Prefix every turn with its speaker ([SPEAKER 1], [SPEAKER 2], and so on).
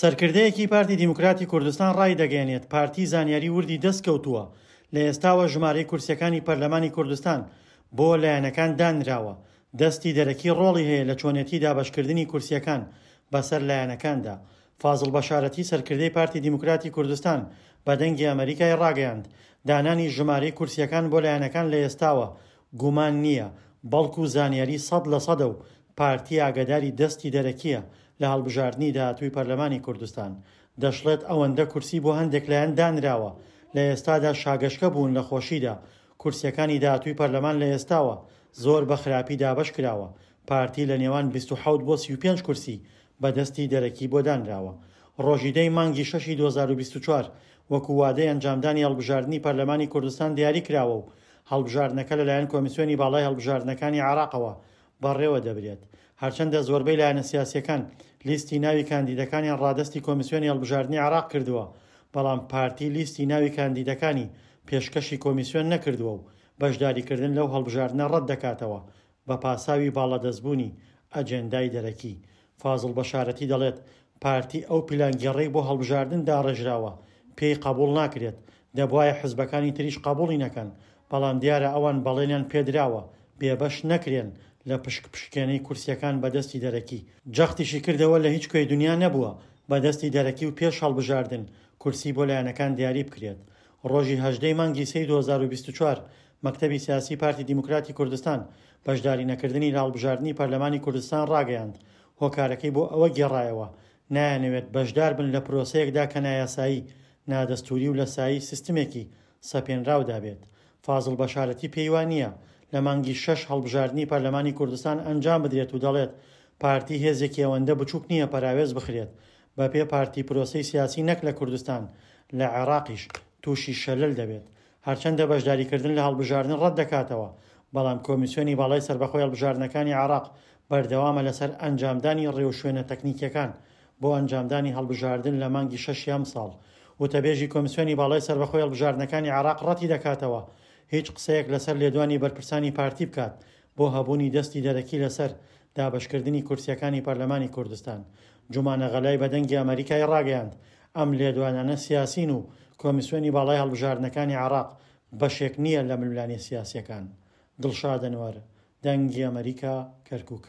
[SPEAKER 1] سەرکردەیەکی پارتی دیموکراتی کوردستان ڕایدەگەیەنێت، پارتی زانیاری وردی دەستکەوتووە، لە ئێستاوە ژمارەی کورسییەکانی پەرلەمانی کوردستان بۆ لایەنەکان دانراوە، دەستی دەرەکی ڕۆڵی هەیە لە چۆنێتی دابەشکردنی کورسییەکان بەسەر لایەنەکاندا. فازڵ بەشارەتی سەرکردەی پارتی دیموکراتی کوردستان بە دەنگی ئەمەریکای ڕاگەیاند، دانانی ژمارەی کورسییەکان بۆ لایەنەکان لە ئێستاوە گومان نییە، بەڵکو زانیاری 100% و پارتی ئاگاداری دەستی دەرەکییە لە هەڵبژاردنی داهاتووی پەرلەمانی کوردستان. دەشڵێت ئەوەندە کورسی بۆ هەندێک لایەن دانراوە لە ئێستادا شاگەشکە بوون لە خۆشیدا، کورسییەکانی داهاتووی پەرلەمان لە ئێستاوە زۆر بە خراپی دابەش کراوە، پارتی لە نێوان 27 بۆ 35 کورسی بە دەستی دەرەکی بۆ دانراوە. ڕۆژی دە ی مانگی شەشی 2024 وەکو وادەی ئەنجامدانی هەڵبژاردنی پەرلەمانی کوردستان دیاری کراوە و هەڵبژاردنەکە لەلایەن کۆمیسیۆنی باڵای هەڵبژاردنەکانی عێراقەوە بەڕێوە دەبرێت. هەرچەندە زۆربەی لایەنە سیاسییەکان لیستی ناوی کاندیدەکانیان ڕادەستی کۆمیسیۆنی هەڵبژاردنی عێراق کردووە، بەڵام پارتی لیستی ناوی کاندیدەکانی پێشکەشی کۆمیسیۆن نەکردووە و بەشداریکردن لەو هەڵبژاردنە ڕەت دەکاتەوە بە پاساوی باڵادەستبوونی ئەجێندای دەرەکی. فازڵ بەشارەتی دەڵێت، پارتی ئەو پیلانگێڕەی بۆ هەڵبژاردن داڕێژراوە پێی قەبوڵ ناکرێت، دەبوایە حزبەکانی تریش قەبوڵی نەکەن، بەڵام دیارە ئەوان بەڵێنیان پێدراوە بێبەش نەکرێن لە پشک پشکێنەی کورسیەکان بە دەستی دەرەکی. جەختیشی کردەوە لە هیچ کوێی دونیا نەبووە بە دەستی دەرەکی و پێش هەڵبژاردن کورسی بۆ لایەنەکان دیاری بکرێت. ڕۆژی 18 ی مانگی سێی 2024 مەکتەبی سیاسی پارتی دیموکراتی کوردستان بەشداری نەکردنی لە هەڵبژاردنی پەرلەمانی کوردستان ڕاگەیاند، هۆکارەکەی بۆ ئەوە گێڕایەوە نایانەوێت بەشدار بن لە پرۆسەیەکدا کە نایاسایی، نادەستووری و لە سایەی سیستمێکی سەپێنراودا بێت. فازڵ بەشارەتی پێی وا نییە لە مانگی شەش هەڵبژاردنی پەرلەمانی کوردستان ئەنجام بدرێت و دەڵێت پارتی هێزێکی ئەوەندە بچووک نییە پەراوێز بخرێت بەپێ پارتی پرۆسەی سیاسی نەک لە کوردستان لە عێراقیش تووشی شەلەل دەبێت. هەرچەندە بەشداریکردن لە هەڵبژاردن ڕەتدەکاتەوە، بەڵام کۆمیسیۆنی باڵای سەربەخۆی هەڵبژاردنەکانی عێراق بەردەوامە لەسەر ئەنجامدانی ڕێوشوێنە تەکنیکییەکان بۆ ئەنجامدانی هەڵبژاردن لە مانگی شەشی ئەمساڵ. وتەبێژی کۆمیسیۆنی باڵای سەربەخۆی هەڵبژاردنەکانی عێراق ڕەتیدەکاتەوە هیچ قسەیەک لەسەر لێدوانی بەرپرسانی پارتی بکات بۆ هەبوونی دەستی دەرەکی لەسەر دابەشکردنی کورسییەکانی پەرلەمانی کوردستان. جومانە غەلای بە دەنگی ئەمەریکای ڕاگەیاند، ئەم لێدوانانە سیاسین و کۆمیسیۆنی باڵای هەڵبژاردنەکانی عێراق بەشێک نییە لە ململانێ سیاسییەکان. دڵشاد ئەنوەر، دەنگی ئەمەریکا، کەرکوک.